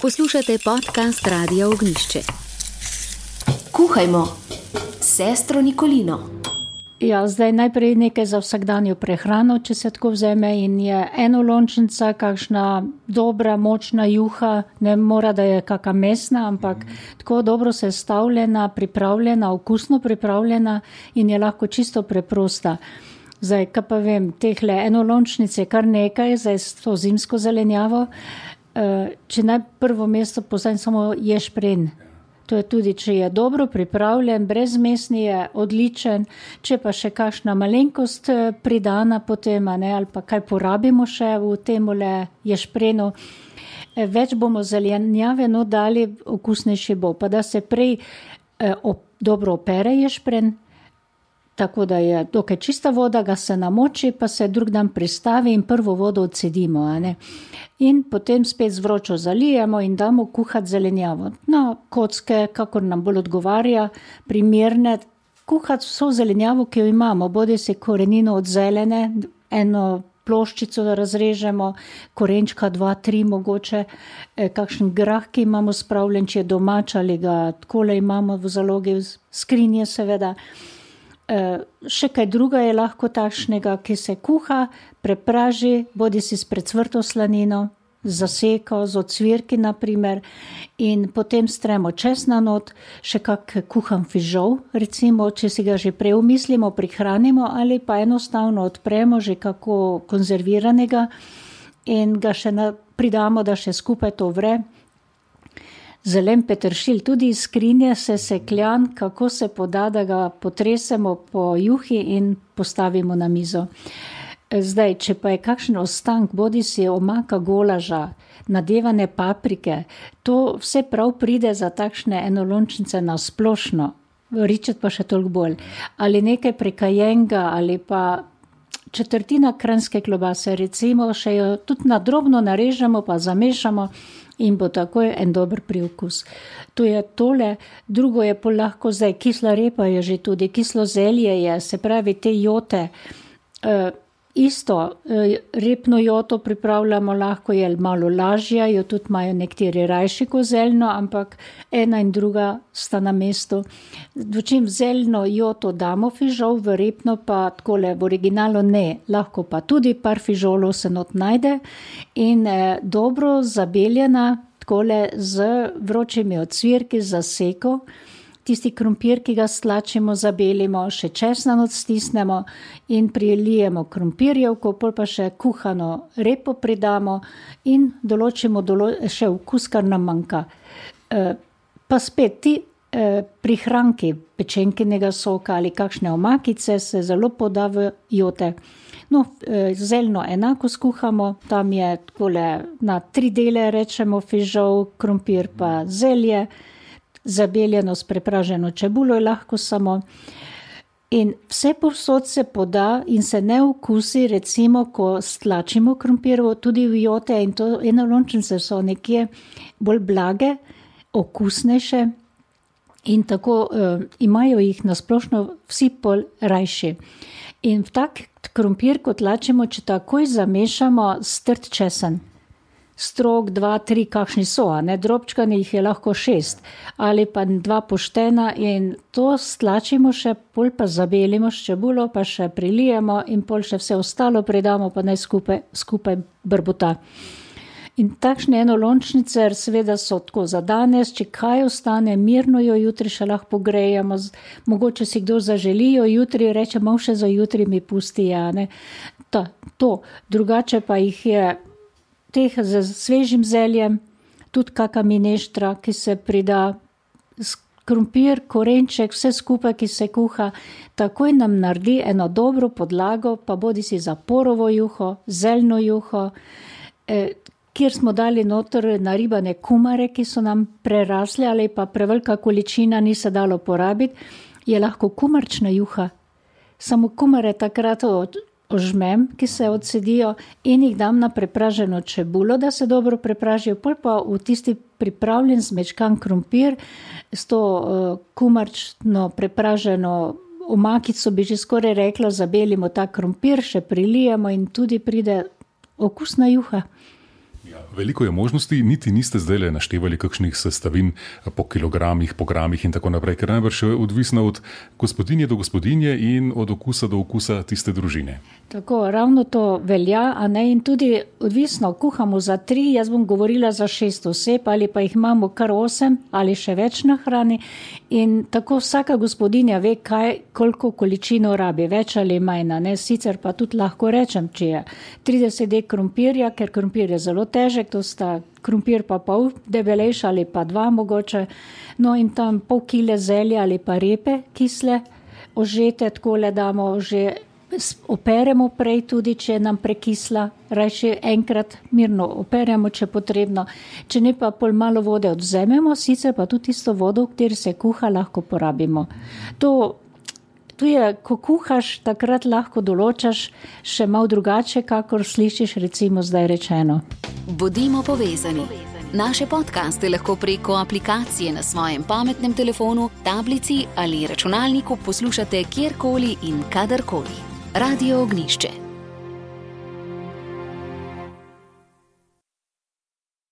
Poslušate podcast Radia Ognjišče. Kuhajmo, sestro Nikolino. Ja, zdaj najprej nekaj za vsakdanjo prehrano, če se tako vzeme, in je enolončnica, kakšna dobra, močna juha, ne mora, da je kakšna mesna, ampak tako dobro sestavljena, pripravljena, okusno pripravljena in je lahko čisto preprosta. Zdaj, kaj pa vem, tehle enolončnice je kar nekaj, zdaj s to zimsko zelenjavo. Če naj prvo mesto postavim samo ješprenj. To je tudi, če je dobro pripravljen, brezmesni je odličen, če pa še kakšna malenkost pridana potem, ali pa kaj porabimo še v temule ješprenu. Več bomo zelenjave dali, okusnejši bo. Pa da se prej dobro opere ješpren, tako da je dokaj čista voda, ga se namoči, pa se drug dan pristavi in prvo vodo odcedimo. In potem spet z vročo zalijemo in damo kuhati zelenjavo. Na kocke, kakor nam bolj odgovarja, primerne, kuhati vso zelenjavo, ki jo imamo, bodi si korenino od zelene, eno ploščico da razrežemo, korenčka 2, 3 mogoče, kakšen grah, ki imamo spravljen, če je domač ali ga takole imamo v zalogi, skrinje seveda. Še kaj druga je lahko takšnega, ki se kuha, prepraži, bodi si s precvrto slanino, zaseko, z ocvirki naprimer, in potem stremo česna not, še kak kuhan fižol, recimo, če si ga že prej umislimo, prihranimo ali pa enostavno odpremo že kako konzerviranega in ga še pridamo, da še skupaj to vre. Zelen peteršilj, tudi iz skrinje se sekljan, kako se poda, da ga potresemo po juhi in postavimo na mizo. Zdaj, če pa je kakšen ostank, bodi si omaka golaža, nadevane paprike, to vse prav pride za takšne enolončnice na splošno, ričet pa še toliko bolj. Ali nekaj prekajenga, ali pa četrtina kranjske klobase, recimo, še jo tudi na drobno narežemo, pa zamešamo, in bo takoj en dober priokus. To je tole, drugo je pa lahko zdaj, kisla repa je že tudi, kislo zelje je, se pravi te jote. Isto, repno joto pripravljamo, lahko je malo lažja, jo tudi imajo nekateri rajši kot zeljno, ampak ena in druga sta na mestu. Dočim zeljno joto damo fižol, v repno pa takole, v originalu ne, lahko pa tudi par fižolov se not najde in dobro zabeljena, takole z vročimi ocvirki, zaseko. Tisti krompir, ki ga stlačimo, zabelimo, še česna not stisnemo in prilijemo krompirjevko, pol pa še kuhano repo pridamo in določimo še okus, kar nam manjka. Pa spet ti prihranki pečenkinega soka ali kakšne omakice se zelo poda v jote. Zeljno enako skuhamo, tam je takole na 3 dele rečemo fižol, krompir pa zelje, zabeljeno s prepraženo čebulo je lahko samo. In vse povsod se poda in se ne okusi, recimo, ko stlačimo krompirjevo, tudi v jote, in to enolončnice so nekje bolj blage, okusnejše in tako imajo jih nasplošno vsi pol rajši. In v tak krompir, ko tlačimo, če takoj zamešamo strt česen. Strok, 2, 3, kakšni so, drobčkani jih je lahko 6 ali pa 2 poštena in to stlačimo še, pol pa zabelimo s čebulo, pa še prilijemo in pol še vse ostalo pridamo, pa naj skupaj brbota. In takšne enolončnice seveda so tako za danes, če kaj ostane, mirno jo jutri še lahko pogrejemo, mogoče si kdo zaželijo jutri, reče, malo še za jutri mi pusti, to, drugače pa jih je teh z svežim zeljem, tudi kaka mineštra, ki se prida, krompir, korenček, vse skupaj, ki se kuha, takoj nam naredi eno dobro podlago, pa bodi si za porovo juho, zeljno juho, kjer smo dali noter naribane kumare, ki so nam prerasle ali pa prevelika količina ni se dalo porabiti, je lahko kumarčna juha. Samo kumare takrat ožmem, ki se odsedijo in jih dam na prepraženo čebulo, da se dobro prepražijo, pol pa v tisti pripravljen zmečkan krompir s to kumarčno prepraženo omakico, bi že skoraj rekla, zabelimo ta krompir, še prilijemo in tudi pride okusna juha. Ja, Veliko je možnosti, niti niste zdaj naštevali kakšnih sestavin po kilogramih, po gramih in tako naprej, ker najbrž je odvisno od gospodinje do gospodinje in od okusa do okusa tiste družine. Tako, ravno to velja, a ne, in tudi odvisno, kuhamo za 3, jaz bom govorila za 6 oseb, ali pa jih imamo kar 8 ali še več na hrani in tako vsaka gospodinja ve, koliko količino rabi, več ali manj, ne, sicer pa tudi lahko rečem, če je 30 dek krompirja, ker krompir je zelo težek, to sta krompir pa pol debelejš ali pa 2 mogoče, no in tam pol kile zelja ali pa repe kisle, ožete takole damo, že operemo prej tudi, če je nam prekisla, rajši enkrat mirno operemo, če potrebno, če ne pa pol malo vode odvzememo, sicer pa tudi isto vodo, v kateri se kuha, lahko porabimo. Tu je, ko kuhaš, takrat lahko določaš še malo drugače, kakor slišiš recimo zdaj rečeno. Bodimo povezani. Naše podcaste lahko preko aplikacije na svojem pametnem telefonu, tablici ali računalniku poslušate kjerkoli in kadarkoli. Radio Ognišče.